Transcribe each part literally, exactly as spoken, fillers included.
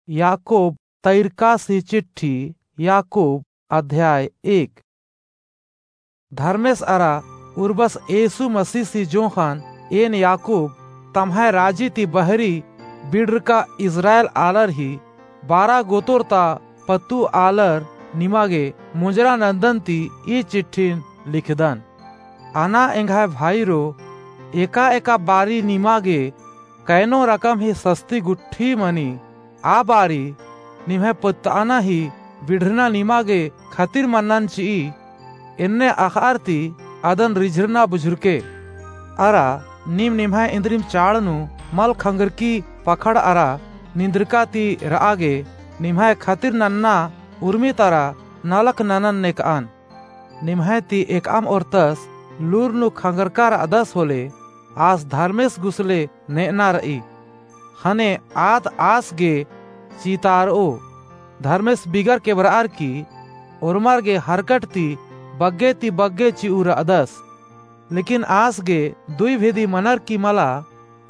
याकूब तैरकासी चिट्ठी। याकूब अध्याय एक। धर्मेस अरा उर्बस येसु मसीसी जोंख़न एन याकूब तम्है राजी ती बहरी बिड़रका इस्राएल आलर ही बारा गोतोर ता पत्तू आलर निमा गे मुंजरा नंदन ती ई चिट्ठिन लिखदन। अना एंग्है भाईरो, एका एका बारी निमा गे कैनो रकम ही सस्ती गुट्ठी मनी, आ बारी निम्है पत्तअना ही बिड़रना निमा गे खतिर मन्नन चिई, एन्ने अख़अर ती अदन रिझरना बुझुरके। अरा नीम निम्है इन्द्रिम चाड़ नू मल खंगरकी पखड़ अरा निंदरका ती रआ गे निम्है खतिर नन्ना उर्मी तरा नलख ननन नेकअन। निम्है ती एकअम ओर्तस लूर नू खंगरका रअदस होले, आस धर्मेस गुसले नेअना रई। ख़ने आद आस गे चीतारओ, धर्मेस बिगर केबरअर की ओर्मर गे हरकट ती बग्गे ती बग्गे चिऊ रअदस। लेकिन आस गे दुई भेदी मनर की मला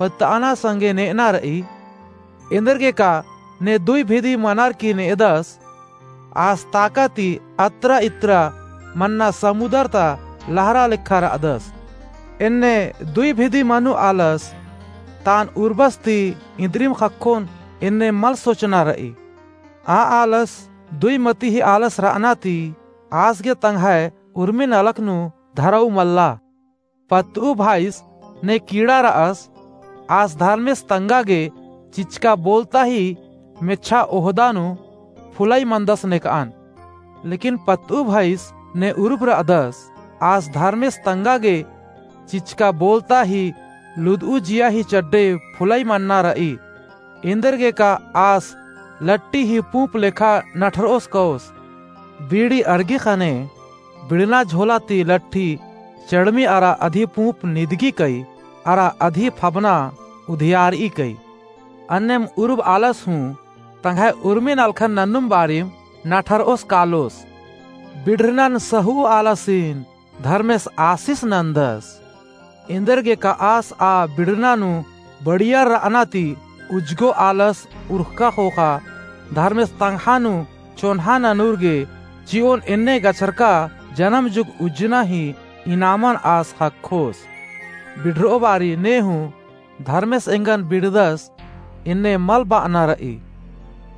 पत्तअना संगे नेअना रई। एन्देरगेका ने दुई भेदी मनर की नेअदस, आस ताका ती अत्रा इत्रा मन्ना समुदर ता लहरा लेखा रअदस। एन्ने दुई भेदी मनु आलस तान उर्बस ती इन्द्रिम ख़क्खोन एन्ने मल सोचना रई। आ आलस दुई मती ही आलस रअना ती आस गे तंग्है उर्मी नलख नू धरऊ मल्ला। पत्तऊ भाईस ने कीड़ा रअस, आस धर्मेस तंगा गे चिचका बोलता ही मेच्छा ओहदा नू फुलाई मंदस नेकअन। लेकिन पत्तऊ भाईस ने उरुप रअदस, आस धर्मेस तंगा गे चिचका बोलता ही लुदऊ जिया ही चड्डे फुलाई मन्ना रई। एन्देरगेका आस लट्टी ही पूंप लेखा नठरओस कओस। बीड़ी अरगी ख़ने बिड़ना झोला ती लट्ठी चड़मी अरा अधी पूंप निदगी कई, अरा अधी फबना उधियारई कई। अन्नेम उरुब आलस हूँ तंग्है उर्मी नलखन नन्नुम बारिम नठरओस कालोस। बिड़रनन सहू आलसिन धर्मेस आसिस नन्दस। एन्देरगेका आस आ बिड़रना नू बड़ियर रअना ती उज्जगो आलस उरखका ख़ोख़ा धर्मेस तंग्हा नू चोन्हा ननुर गे चिओन एन्ने गछरका जनम जुग उज्जना ही इनामन आस ख़क्खोस। बिड़रओ बारी ने हूँ धर्मेस एंगन बिड़दस एन्ने मल बअना रई।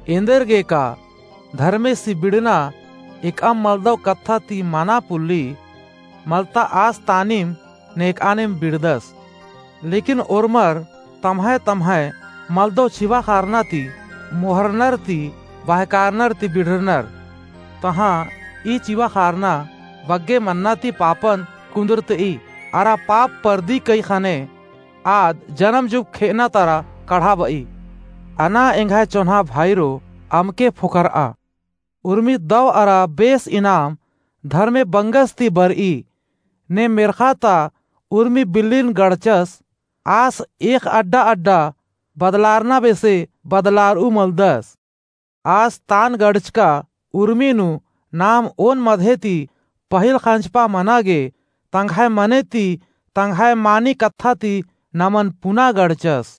एन्देरगेका धर्मेसी बिड़ना एकअम मलदव कत्था ती मना पुल्ली, मलता आस तानिम नेकअनिम बिड़दस। लेकिन ओर्मर तम्है तम्है मलदव चिवा ख़ारना ती, मोहरनर ती, बहकारनर ती बिड़रनर। तहाँ ई चिवा ख़ारना बग्गे मन्ना ती पापन कुन्दुरतई, अरा पाप परदी कई ख़ने आद जनम जुग खेअना तरा कढ़ाबई। अना एंग्है चोन्हा भाईरो अमके फोकरआ। उर्मी दव अरा बेस इनाम धर्मे बंगस ती बरई। ने मेर्ख़ा ता उर्मी बिल्लिन गड़चस, आस एक अड्डा अड्डा बदलारना बेसे बदलारऊ मलदस। आस तान गड़चका उर्मी नू नाम ओन मधे ती पहिल ख़ंजपा मना गे तंग्है मने ती तंग्है मानी कत्था ती नमन पुना गड़चस।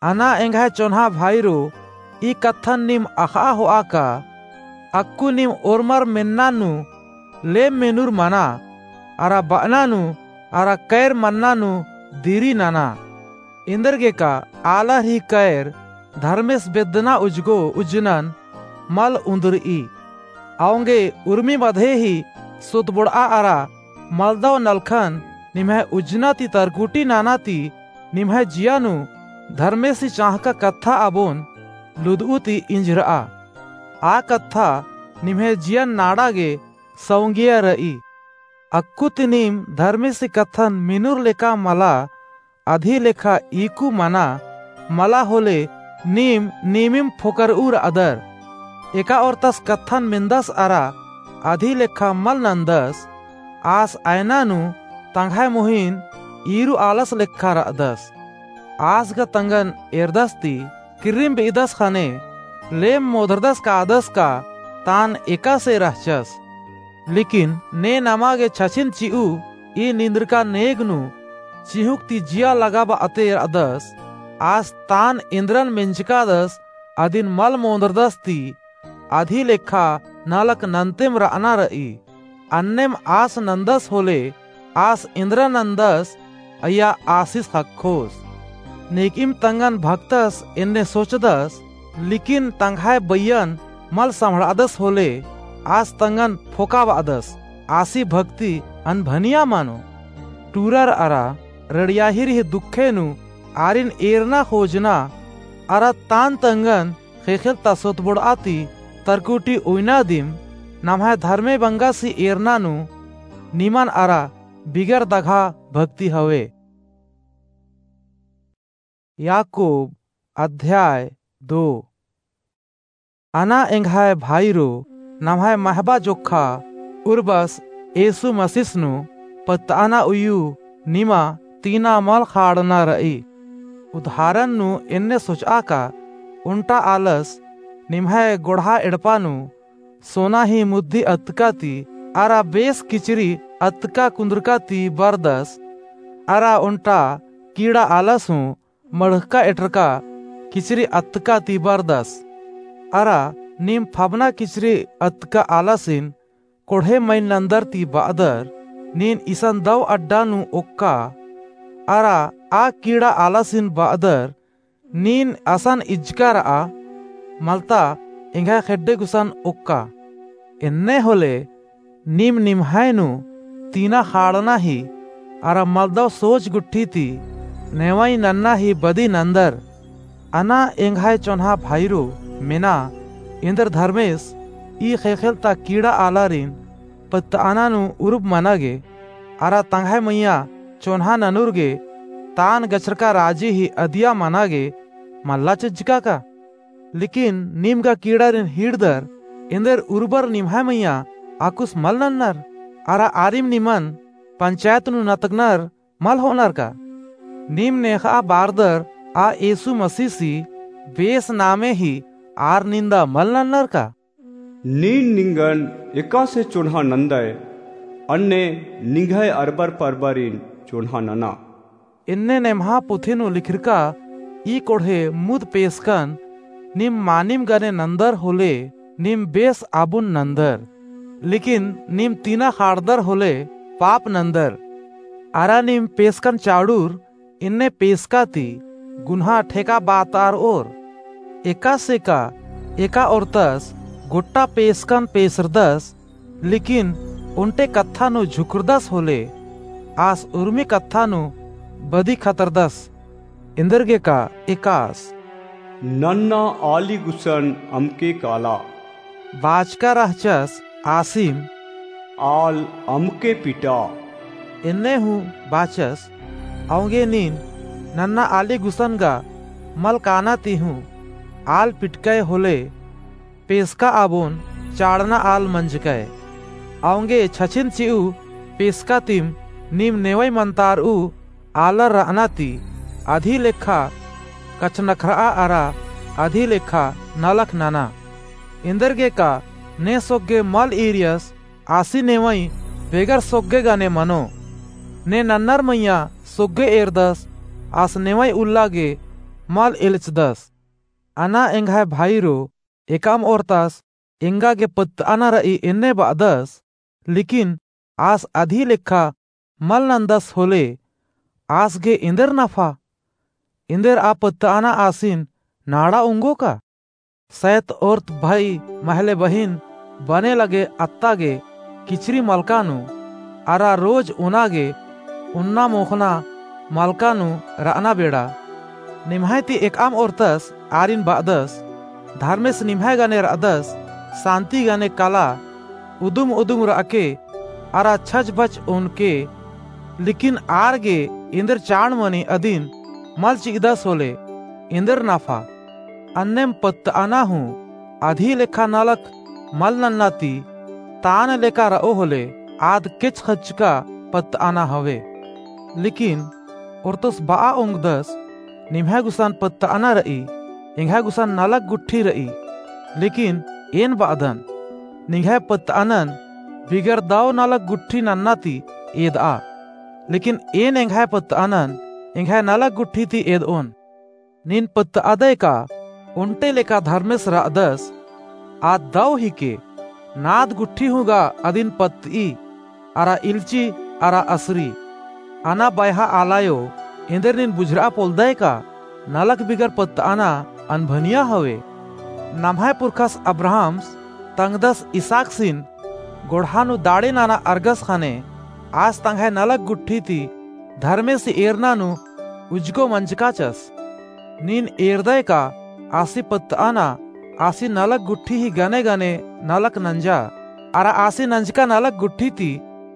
अना एंग्है चोन्हा भाईरो, ई कत्थन नीम अख़आ होआ का, अक्कु नीम ओर्मर मेन्ना नू लेम मेनुर मना, अरा बअना नू, अरा कैर मन्ना नू दिरी नना। एन्देरगेका आलर ही कैर धर्मेस बेद्दना उज्जगो उज्जनन मल उन्दुरई। औंगे उर्मी मधे ही सुतबोड़आ अरा मलदव नलखन निम्है उज्जना ती तरकुटी नना ती निम्है जिया नू धर्मेसी चाँहका कत्था अबोन लुदऊ ती इंझरआ। आ कत्था निम्है जियन नाड़ा गे सौंगिया रई। अक्कु ती नीम धर्मेसी कत्थन मेनुर लेका मला, अधी लेखा ईकु मना, मला होले नीम नीमिम फोकरऊ रअदर। एका ओर्तस कत्थन मेन्दस अरा अधी लेखा मल नन्दस, आस अयना नू तंग्है मोहिन ईरू आलस लेखा रअदस। आस गा तंगन एरदस ती किर्रिम बेइदस ख़ने लेम मोधरदस कादस का तान एकासे रहचस। लेकिन ने नमा गे छछिन चिऊ ई निंद्रका नेग नू चिहुक ती जिया लगाबआ ते रअदस। आस तान एन्द्रन मेंजकादस अदिन मल मोंदरदस ती अदी लेखा नलख नन्तेम रअना रई। अन्नेम आस नन्दस होले आस इन्द्रा नन्दस अइय्या आसिस ख़क्खोस। नेकिम तंगन भक्तस एन्ने सोचदस, लिकिन तंग्है बइयन मल सम्हड़ादस होले आस तंगन फोकाबअदस। आसी भक्ति अनभनिया मनो। टूरर अरा रड़ियाहिर ही दुखे नू आरिन एरना खोजना अरा तान तंगन ख़ेख़ेल ता सोतबोड़आ ती तरकुटी उइना दिम नम्है धर्मे बंगासी एरना नू निमन अरा बिगर दघा भक्ति हवे। याकूब अध्याय दो। अना एंग्है भाईरो, नम्है महबा जोक्खा उर्बस येसु मसीस नू पत्तअना उइयु निमा तीना मल ख़ाड़ना रई। उदाहरण नू एन्ने सोचआ का ओन्टा आलस निम्है गोड़हा एड़पा नू सोना ही मुद्दी अतका ती अरा बेस किचरी अतका कुन्दुरका ती बरदस अरा ओन्टा कीड़ा आलस हूँ मड़हका एटरका किचरी अतका ती बरदस। अरा नीम फबना किचरी अतका आलासिन कोड़हे मइन नन्दर ती बअदर, नीन इसन दव अड्डा नू ओक्का। अरा आ कीड़ा आलासिन बअदर, नीन असन इज्जका रआ, मलता एंग्है खेड्डे गुसन ओक्का। एन्ने होले नीम निम्है नू तीना ख़ाड़ना ही अरा मलदव सोच गुट्ठी ती नेवई नन्ना ही बदी नन्दर। अना एंग्है चोन्हा भाईरो, मेना एन्देर धर्मेस ई ख़ेख़ेल ता कीड़ा आलारिन पत्तअना नू उरुब मना गे, अरा तंग्है मइय्याँ चोन्हा ननुर गे तान गछरका राजी ही अदिया मना गे मल्ला चिज्जका का? लेकिन नीम गा कीड़ारिन हीड़दर एन्देर उरुबर निम्है मइय्याँ अक्कुस मल नन्नर, अरा आरिम निमन पंचायत नू नतगनर मल होअनर का? नीम नेख़ा बारदर आ येसु मसीसी बेस नामे ही आर निन्दा मल नन्नर का? नीन निंगन एकासे चोन्हा नन्दय, अन्ने निंग्है अरबर परबरिन चोन्हा नना। एन्ने नेम्हा पुथी नू लिखरका ई कोड़हे मुद पेसकन नीम मानिम गने नन्दर होले नीम बेस आबुन नन्दर, लेकिन नीम तीना ख़ाड़दर होले पाप नन्दर। अरा नीम पेसकन चाड़ुर एन्ने पेसका ती गुन्हा ठेका बातारओर। एकासे का एका ओर्तस गोट्टा पेसकन पेसरदस, लेकिन ओन्टे कत्था नू झुकरदस होले आस उर्मी कत्था नू बदी खतरदस। एन्देरगे का एकास नन्ना आली गुसन अमके काला बाचका रहचस आसिम आल अमके पिटा। एन्ने हूँ बाचस, औंगे नीन नन्ना आली गुसन गा मल काना ती हूँ आल पिटकय होले पेसका आबोन चाड़ना आल मंजकय। औंगे छछिन चिऊ पेसका तिम नीम नेवई मंतारऊ आलर रअना ती अदी लेखा कछनखरआ अरा अदी लेखा नलख नना। एन्देरगे का ने सोग्गे मल ईरियस आसी नेवई बेगर सोग्गे गने मनो। ने नन्नर मइय्याँ सोग्गे एरदस आस नेवई उल्ला गे मल एलचदस। अना एंग्है भाईरो, एकाम ओर्तस एंगा गे पत्तअना रई एन्ने बअदस, लेकिन आस अदी लेखा मल नन्दस होले आस गे एन्देर नफा? एन्देर आ पत्तअना आसिन नाड़ा ओंगो का? सैत ओर्त भई महले बहिन बने लगे अत्ता गे किचरी मलका नू अरा रोज ओना गे ओन्ना मोख़ना मलका नू रअना बेड़ा। निम्है ती एकअम ओर्तस आरिन बअदस, धर्मेस निम्है गने रअदस, सान्ति गने कला, उदुम उदुम रअके अरा छजबच ओनके। लेकिन आर गे एन्देर चाड़ मनी अदिन मल चिअदस होले एन्देर नफा? अन्नेम पत्तअना हूँ अदी लेखा नलख मल नन्ना ती तान लेका रओ होले आद केच खच्चका पत्तअना हवे। लेकिन ओर्तस बआ ओंगदस, निम्है गुसन पत्तअना रई, एंग्है गुसन नलख गुट्ठी रई। लेकिन एन बअदन, निंग्है पत्तअनन बिगर दव नलख गुट्ठी नन्ना ती एदआ। लेकिन एन एंग्है पत्तअनन एंग्है नलख गुट्ठी ती एदओन। नीन पत्तअदय का? ओन्टे लेखा धर्मेस रअदस, आद दौ हिके, नाद गुट्ठी हूँ गा अदिन पत्त'ई, अरा इल्ची, अरा असरी। अना बयहा आलायो, एन्देर नीन बुझुरआ पोल्लदय का, नलख बिगर पत्त'अना अनभनिया हवे। नम्है पुरखस अब्राहमस तंग्दस इसाकसिन गोड़हा नू दाड़े नना अरगस ख़ने, आस तंग्है नलख गुट्ठी ती धर्मेस एरना नू उज्जगो मंजकाचस। नीन एरदय का आसी पत्त'अना, आसी नलख गुट्ठी ही गने गने नलख नंजा, अरा आसी नंजका नलख गुट्ठी ती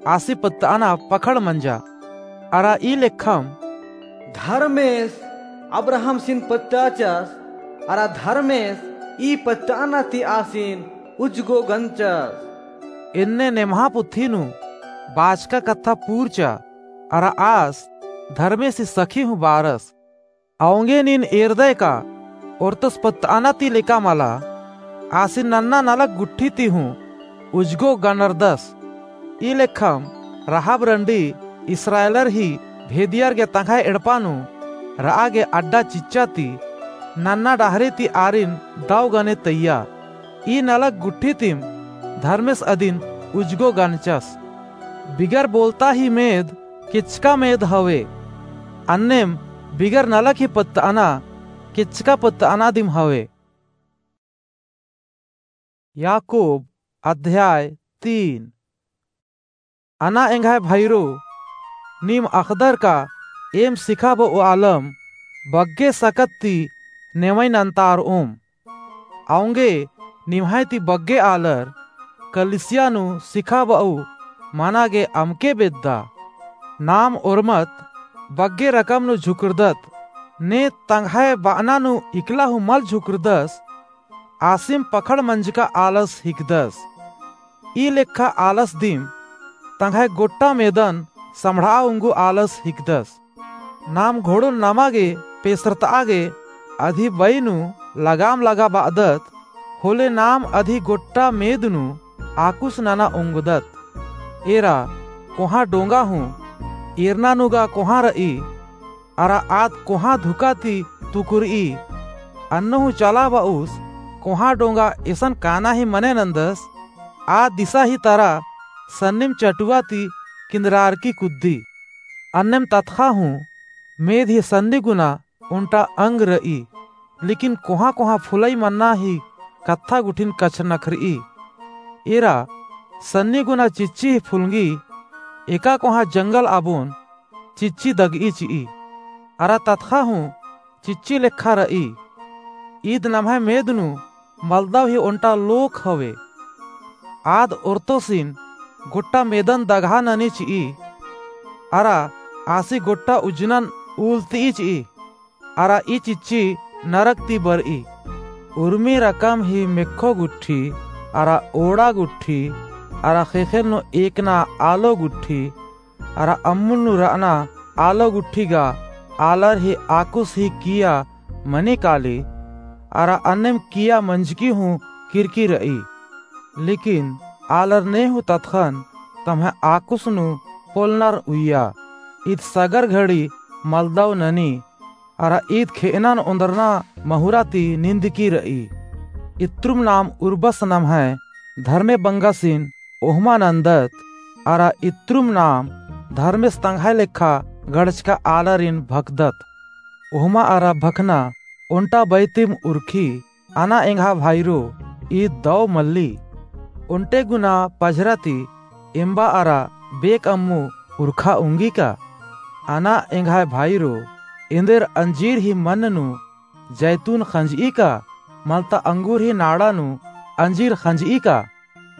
आसी पत्त'अना पखड़ मंजा। अरा ई लेखम धर्मेस अब्राहमसिन पत्त'अचस, अरा धर्मेस ई पत्त'अना ती आसिन उज्जगो गंचस। एन्ने नेम्हा पुथी नू बाचका कत्था पूरचा, अरा आस धर्मेस ही सखी हूँ बारस। औंगे नीन एरदय का ओर्तस पत्त'अना ती लेका मला, आसिन नन्ना नलख गुट्ठी ती हूँ उज्जगो गनरदस। ई लेखम राहाब रंडी इस्राएलर ही भेदियर गे तंग्है एड़पा नू र'आ गे अड्डा चिच्चा ती नन्ना डहरे ती आरिन दौ गने तइय्या। ई नलख गुट्ठी तिम धर्मेस अदिन उज्जगो गनचस। बिगर बोलता ही मेद केचका मेद हवे, अन्नेम बिगर नलख ही पत्त'अना केचका पत्त'अना दिम हवे। याकूब अध्याय तीन। अना एंग्है भइरो, नीम अख़दर का एम सिखाब'ओ आलम बग्गे सकत ती नेवई नन्तार'ओम। औंगे निम्है ती बग्गे आलर कलीसिया नू सिखाब'ओ मना गे अमके बेद्दा। नाम ओर्मत बग्गे रकम नू झुकुरदत, ने तंग्है ब'अना नू इकला हूँ मल झुकुरदस, आसिम पखड़ मंजका आलस हिकदस। ई लेखा आलस दिम तंग्है गोट्टा मेदन सम्हड़'आ उंगु आलस हिकदस। नाम घोड़ोन नमा गे पेसरत'आ गे अदी बई नू लगाम लगा ब'अदत, होले नाम अदी गोट्टा मेद नू आकुस नना ओंगदत। एरा कोहाँ डोंगा हूँ, एरना नू गा कोहाँ र'ई, अरा आद कोहाँ धुका ती तुकुर'ई। अन्नु हूँ चला ब'उस, कोहाँ डोंगा एसन काना ही मने नन्दस, आ दिसा ही तरा सन्निम चटुवा ती किन्दरारकी कुद्दी। अन्नेम ततख़ा हूँ मेद ही सन्नी गुना ओन्टा अंग र'ई, लेकिन कोहाँ कोहाँ फुलई मन्ना ही कत्था गुट्ठिन कछनखर'ई। एरा सन्नी गुना चिच्ची ही फुलंगी, एका कोहाँ जंगल आबोन चिच्ची दग'ई चि'ई। अरा ततख़ा हूँ चिच्ची लेखा र'ई। ईद नम्है मेद नू मलदव ही ओन्टा लोख हवे। आद ओर्तोसिन गोट्टा मेदन दगहा ननी चि'ई, अरा आसी गोट्टा उज्जनन उलत'ई चि'ई। अरा ई चिच्ची नरक ती बर'ई। उर्मी रकम ही मेक्खो गुट्ठी, अरा ओड़ा गुट्ठी, अरा ख़ेख़ेल नू एकना आलो गुट्ठी, अरा अम्मुल नू र'अना आलो गुट्ठी गा आलर ही आकुस ही किया मनी काली, अरा अन्नेम किया मंजकी हूँ किरकी र'ई। लेकिन आलर ने हूँ ततख़न तम्है आकुस नू पोलनर उइया। ईद सगर घड़ी मलदव ननी, अरा ईद खे'अनन ओन्दरना महुरा ती निन्दकी र'ई। इत्रुम नाम उर्बस नम्है धर्मे बंगसिन ओहमा नन्दत, अरा इत्रुम नाम धर्मेस तंग्है लेखा गड़चका आलारिन भखदत। ओहमा अरा भखना ओन्टा बई तिम उरखी। अना एंग्हा भाईरो, ईद दौ मल्ली। ओन्टे गुना पझरा ती एम्बा अरा बेक अम्मु उरखा उंगी का? अना एंग्हा भाईरो, एन्देर अंजीर ही मन नू जैतून खंजई का? मलता अंगूर ही नाड़ा नू अंजीर खंजई का?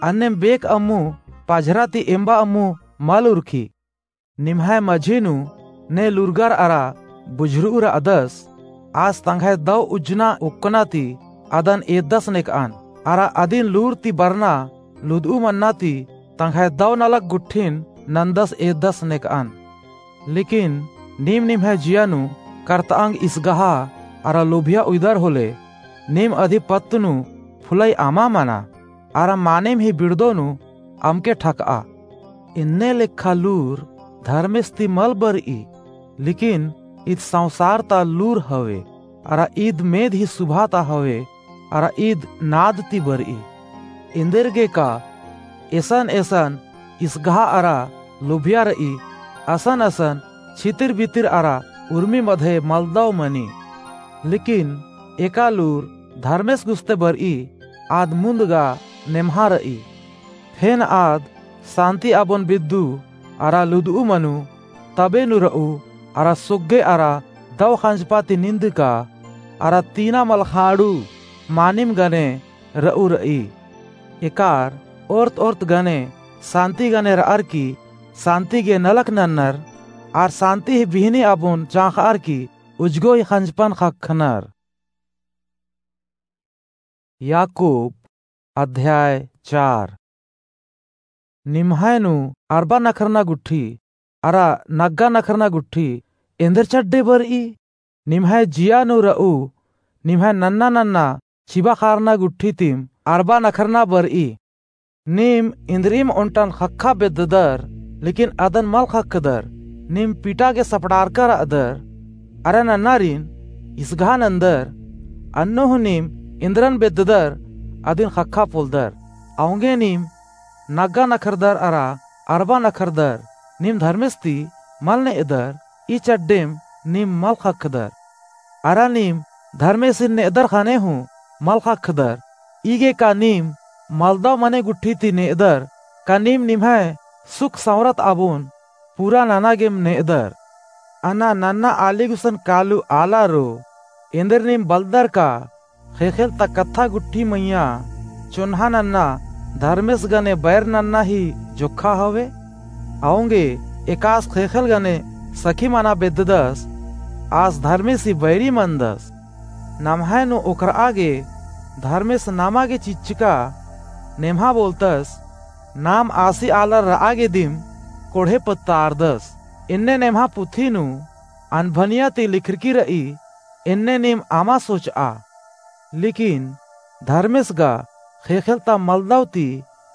अन्नेम बेक अम्मु पझरा ती एम्बा अम्मु मल उरखी। निम्है मझी नू ने लूरगर अरा बुझुरु र'अदस, आस तंग्है दौ उज्जना ओक्कना ती अदन एद्दस नेक'अन, अरा अदिन लूर ती बरना लुद'ऊ मन्ना ती तंग्है दौ नलख गुट्ठिन नन्दस एद्दस नेक'अन। लेकिन नीम निम्है जिया नू करत'अंग इसगहा अरा लोभिया उइदर होले, नीम अदी पत्त नू फुलई अमा मना, अरा मानिम ही बिड़दो नू अमके ठक'आ। एन्ने लेखा लूर धर्मेस ती मल बर'ई, लेकिन ईद संसार ता लूर हवे। अरा ईद मेद ही सुभाता हवे, अरा ईद नाद ती बरई। एन्देरगे का एसन एसन इसगहा अरा लोभिया रई, असन असन छितिर बितिर अरा उर्मी मधे मलदव मनी। लेकिन एकालूर धर्मेस गुस्ते बरई, आद मुन्द गा नेम्हा रई। फेन आद सान्ती आबोन बिद्दू अरा लुदऊ मनु, तबे नू रऊ अरा सोग्गे अरा दव खंजपा ती निंदका अरा तीना मलखाड़ू मानिम गने रऊ रई। एकार ओर्त ओर्त गने सान्ती गने रअर की सान्ती गे नलख नन्नर, आर सान्ती ही बिहनी आबोन चाँखअर की उजगो ही खंजपन ख़क्खनर। याकूब अध्याय चार। निम्है नू अरबा नखरना गुट्ठी अरा नग्गा नखरना गुट्ठी एन्देर चड्डे बरई? निम्है जिया नू रऊ निम्है नन्ना नन्ना चिबा खारना गुट्ठी तिम अरबा नखरना बरई। नीम इन्द्रिइम ओन्टन ख़क्खा बेद्ददर, लेकिन अदन मल ख़क्खदर। नीम पिटा गे सपड़ारका रअदर, अरा नन्नारिन इसगहा नन्दर, अन्नु हूँ नीम इन्द्रन बेद्ददर, अदिन ख़क्खा पोलदर। औंगे नीम नग्गा नखरदर अरा अरबा नखरदर, नीम धर्मेस ती मल नेअदर, ई चड्डेम नीम मल ख़क्खदर। अरा नीम धर्मेसिन नेअदर ख़ने हूँ मल ख़क्खदर। ईगे का नीम मलदव मने गुट्ठी ती नेअदर, का नीम निम्है सुख सँवरत आबोन पूरा नना गेम नेअदर? अना नन्ना आली गुसन कालू आला रो, एन्देर नीम बलदर का ख़ेख़ेल ता कत्था गुट्ठी मइय्याँ चोन्हा नन्ना धर्मेस गने बैर नन्ना ही जोक्खा हवे? औंगे एकास ख़ेख़ेल गने सखी मना बेद्ददस, आस धर्मेसी बैरी मनदस। नम्है नू ओकरआ गे धर्मेस नमा गे चिच्चका नेम्हा बोलतस, नाम आसी आलर रआ गे दिम कोढ़े पत्तारदस। एन्ने नेम्हा पुथी नू अनभनिया ती लिखरकी रई, एन्ने नीम अमा सोचआ। लेकिन धर्मेस गा ख़ेख़ेल ता मलदव ती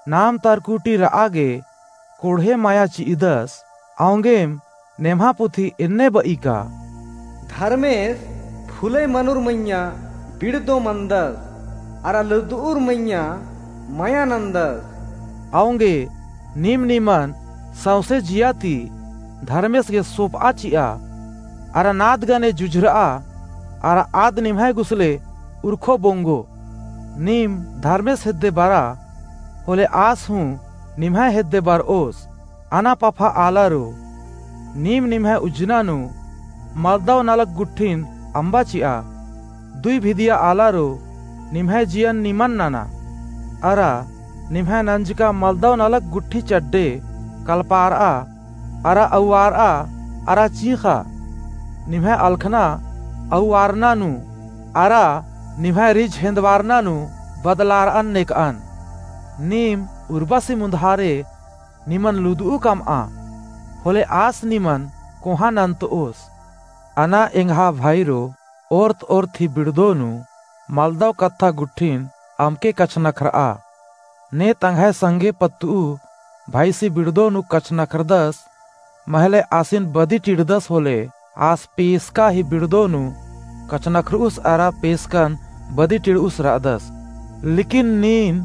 नाम तरकुटी रआ गे कोढ़े मया चिअदस। औंगेम नेम्हा पुथी एन्ने बई का, धर्मेस फुलई मनुर मइय्याँ बिड़दो मनदस, अरा लुदउर मइय्याँ मया नन्दस। औंगे नीम निमन सौंसे जिया ती धर्मेस गे सोपआ चिआ, अरा नाद गने जुझरआ, अरा आद निम्है गुसले उरखो बोंगो। नीम धर्मेस हेद्दे बरा, होले आस हूँ निम्है हेद्दे बरओस। अना पफा आलारो, नीम निम्है उज्जना नू मलदव नलख गुट्ठिन अम्बा चिआ। दुई भिदिया आलारो, निम्है जियन निमन नना। अरा निम्है नंजका मलदव नलख गुट्ठी चड्डे कलपारआ, अरा अउवारआ, अरा चींख़ा। निम्है अलख़ना अउवारना नू, अरा निम्है रिझ हेन्दवारना नू बदलारअन नेकअन। नीम उर्बासी मुन्धारे निमन लुदउ कमआ, होले आस निमन कोहाँ नन्तओस। अना एंग्हा भाईरो, ओर्त ओर्त ही बिड़दो नू मलदव कत्था गुट्ठिन अमके कछनखरआ। ने तंग्है संगे पत्तुउ भाईसी बिड़दो नू कछनखरदस, महले आसिन बदी टिड़दस होले, आस पेसका ही बिड़दो नू कछनखरउस अरा पेसकन बदी टिड़उस रअदस। लेकिन नीन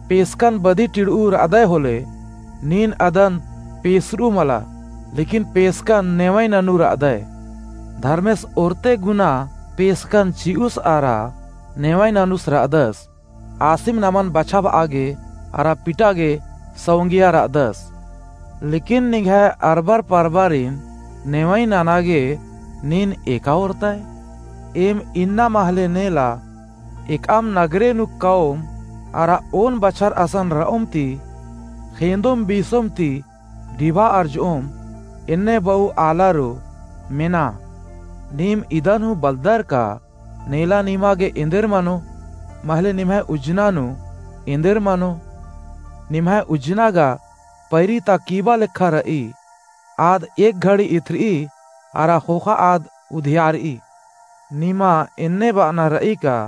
पेसकन बदी टिड़उ रअदय होले, नीन अदन पेसरउ मला, लेकिन पेसकन नेवई ननु रअदय। धर्मेस ओरते गुना पेसकन चिउस अरा नेवई ननुस रअदस। आसिम नमन बछाबआ गे अरा पिटा गे सौंगिया रअदस। लेकिन निंग्है अरबर परबारिन नेवई नना गे नीन एका ओरतय? एम इन्ना महले नेला एकअम नगरे नू कौम अरा ओन बछर असन रओम ती, खेंदोम बीसोम ती डिबा अरजओम, एन्ने बऊ आलारो मेना। नीम इदन हूँ बलदर का नेला निमा गे एन्देर मनो, महले निम्है उज्जना नू एन्देर मनो। निम्है उज्जना गा पैरी ता कीबा लेखा रई, आद एक घड़ी इथरई अरा ख़ोख़ा आद उधियारई। निमा एन्ने बअना रई का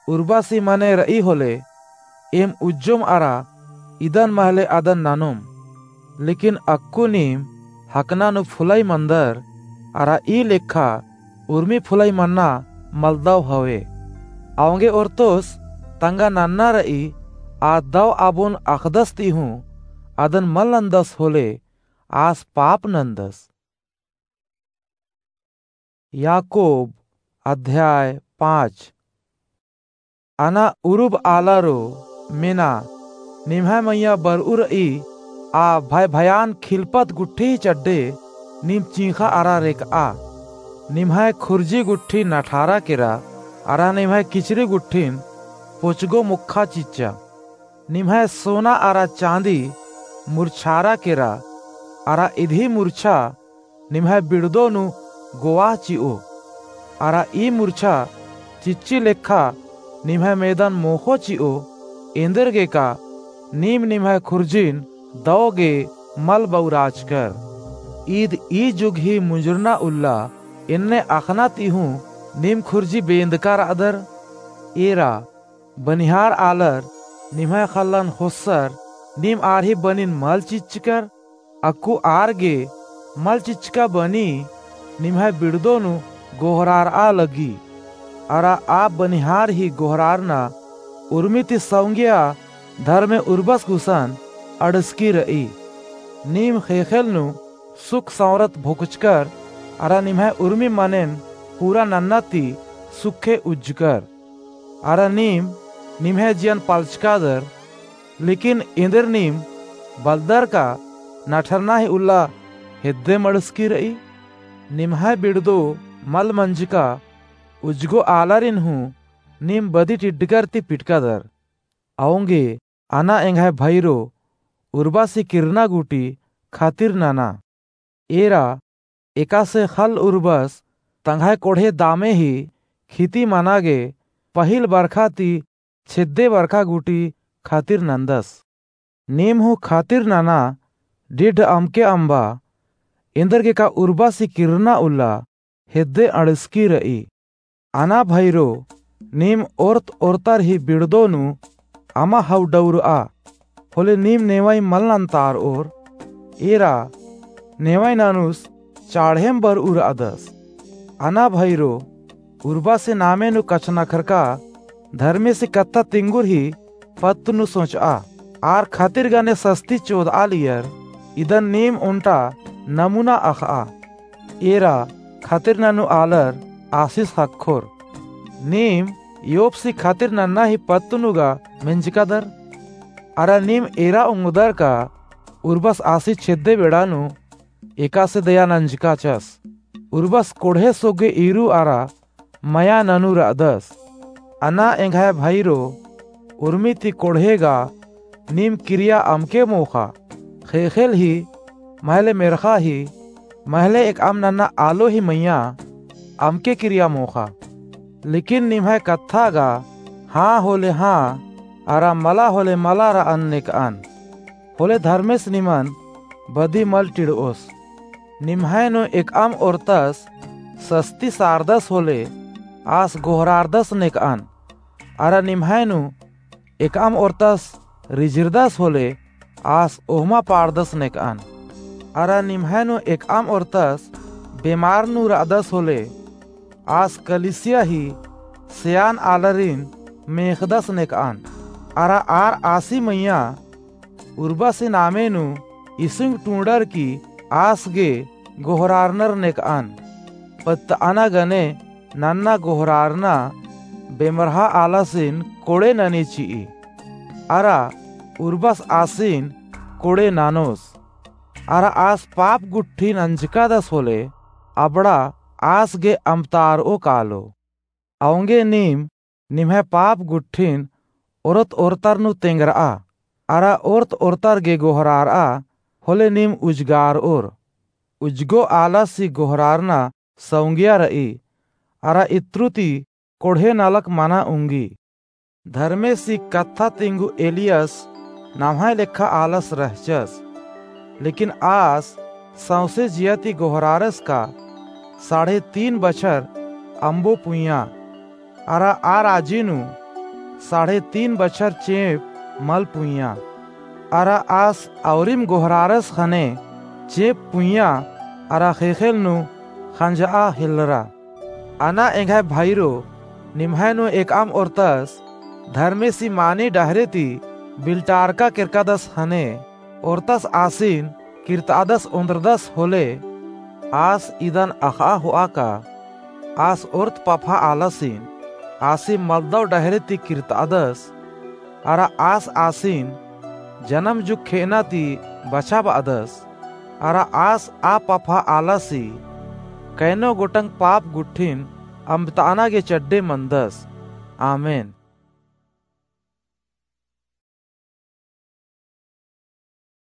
उर्बासी मने रई होले, एम उज्जोम अरा इदन महले अदन ननोम। लेकिन अक्कु नीम हकना नू फुलई मनदर, अरा ई लेखा उर्मी फुलई मन्ना मलदव हवे। औंगे ओर्तोस तंगआ नन्ना र'ई, आ दव आबोन अख़दस ती हूँ अदन मल नन्दस होले, आस पाप नन्दस। याकूब अध्याय पाँच। अना उरुब आलारो मेना, निम्है मइय्याँ बर'ऊ र'ई आ भय भयान खिलपत गुट्ठी चड्डे नीम चींख़ा अरा रेक'आ। निम्है खुर्जी गुट्ठी नठारा केरा अरा निम्है किचरी गुट्ठिन पोचगो मोक्खा चिच्चा। निम्है सोना अरा चाँदी मुरछारा केरा अरा इदी मुरछा निम्है बिड़दो नू गोवाह चि'ओ। अरा ई मुरछा चिच्ची लेखा निम्है मेदन मोख़ो चि'ओ, एन्देरगेका नीम निम्है खुर्जिन दव गे मल बउराचकर। ईद ई जुग ही मुंजुरना उल्ला, एन्ने अख़ना ती हूँ नीम खुर्जी बेंदका र'अदर। एरा बनिहार आलर निम्है ख़ल्लन ख़ोस्सर, नीम आर ही बनिन मल चिच्चकर। अक्कु आर गे मल चिच्चका बनी निम्है बिड़दो नू गोहरार'आ लगी। अरा आ बनिहार ही गोहरारना उर्मी ती सौंगिया धर्मे उर्बस गुसन अंड़सकी र'ई। नीम ख़ेख़ेल नू सुख सौंरत भोकचकर अरा निम्है उर्मी मनेन पूरा नन्ना ती सुखे उज्जकर। अरा नीम निम्है जियन पलचकादर, लेकिन एन्देर नीम बलदर का नठरना ही उल्ला हेद्दे मंड़सकी र'ई। निम्है बिड़दो मल मंजका उज्जगो आलारिन हूँ नीम बदी टिड्डकर ती पिटकादर। औंगे अना एंग्है भइरो उर्बसी किरना गूटी ख़ातिर नना। एरा एकासे ख़ल्ल उर्बस तंग्है कोड़हे दामे ही खिती मना गे पहिल बरखा ती छेद्दे बरखा गूटी ख़ातिर नन्दस। नीम हूँ ख़ातिर नना डिड्ड अमके अम्बा, एन्देरगेका उर्बसी किरना उल्ला हेद्दे अंड़सकी र'ई। अना भइरो, नीम ओर्त ओर्तर ही बिड़दो नू अमा हउडउर'आ, होले नीम नेवई मल नन्तार'ओर। एरा नेवई ननुस चाड़हेम बर'ऊ र'अदस। अना भइरो, उर्बसी नामे नू कछनखरका धर्मेसी कत्था तिंगुर ही पत्त नू सोच'आ। आर ख़ातिर गने सस्ती चोद'आलियर, इदन नीम ओन्टा नमूना अख़'आ। एरा ख़ातिर ननू आलर आसिस ख़क्खोर। नीम योबसी ख़ातिर नन्ना ही पत्त नू गा मेंजकादर। अरा नीम एरा ओंगदर का उर्बस आसी छेद्दे बेड़ा नू एकासे दया नंजकाचस। उर्बस कोड़हे सोगे ईरू अरा मया ननू र'अदस। अना एंग्है भइरो, उर्मी ती कोड़हे गा नीम किरिया अमके मोख़ा। ख़ेख़ेल ही, महले मेर्ख़ा ही, महले एकअम नन्ना आलो ही मइय्याँ अमके किरिया मोख़ा। लेकिन निम्है कत्था गा हाँ होले हाँ, अरा मला होले मला र'अन नेक'अन। होले धर्मेस निमन बदी मल टिड़'ओस। निम्है नू एकअम ओर्तस सस्ती सारदस होले आस गोहरारदस नेक'अन। अरा निम्है नू एकअम ओर्तस रिझिरदस होले आस ओहमा पाड़दस नेक'अन। अरा निम्है नू एकअम ओर्तस बेमार नू र'अदस होले आस कलीसिया ही सेयान आलारिन मेख़दस नेक'अन। अरा आर आसी मइय्याँ उर्बसी नामे नू इसुंग टूड़र की आस गे गोहरारनर नेक'अन। पत्त अना गने नन्ना गोहरारना बेमरहा आलासिन कोड़े ननी चि'ई। अरा उर्बस आसिन कोड़े ननोस। अरा आस पाप गुट्ठी नंजकादस होले अबड़ा आस गे अम्बतार'ओ कालो। औंगे नीम निम्है पाप गुट्ठिन ओरत ओरतर नू तेंगर'आ, अरा ओरत ओरतर गे गोहरार'आ, होले नीम उजगार'ओर। उजगो आलासी गोहरारना सौंगिया र'ई, अरा इत्रु ती कोड़हे नलख मना उंगी। धर्मेसी कत्था तिंगु एलियस नम्है लेखा आलस रहचस। लेकिन आस सौंसे जिया ती गोहरारस का साढ़े तीन बछर अम्बो पुइयाँ। अरा आ राजी नू साढ़े तीन बछर चेंप मल पुइयाँ। अरा आस औरिम गोहरारस ख़ने चेंप पुइयाँ अरा ख़ेख़ेल नू ख़ंज'आ हेलरा। अना एंग्है भाईरो, निम्है नू एकअम ओर्तस धर्मेसी मानी डहरे ती बिल्टारका केरकादस हने, ओर्तस आसिन किर्तादस ओन्द्रदस होले, आस इदन अख़आ होआ का, आस ओर्त पफा आलासिन, आसिम मलदव डहरे ती किर्तादस, अरा आस आसिन जनम जुग खेअना ती बछाबअदस, अरा आस आ पफा आलासी कैनो गोटंग पाप गुट्ठिन अम्बताना गे चड्डे मंदस। आमेन।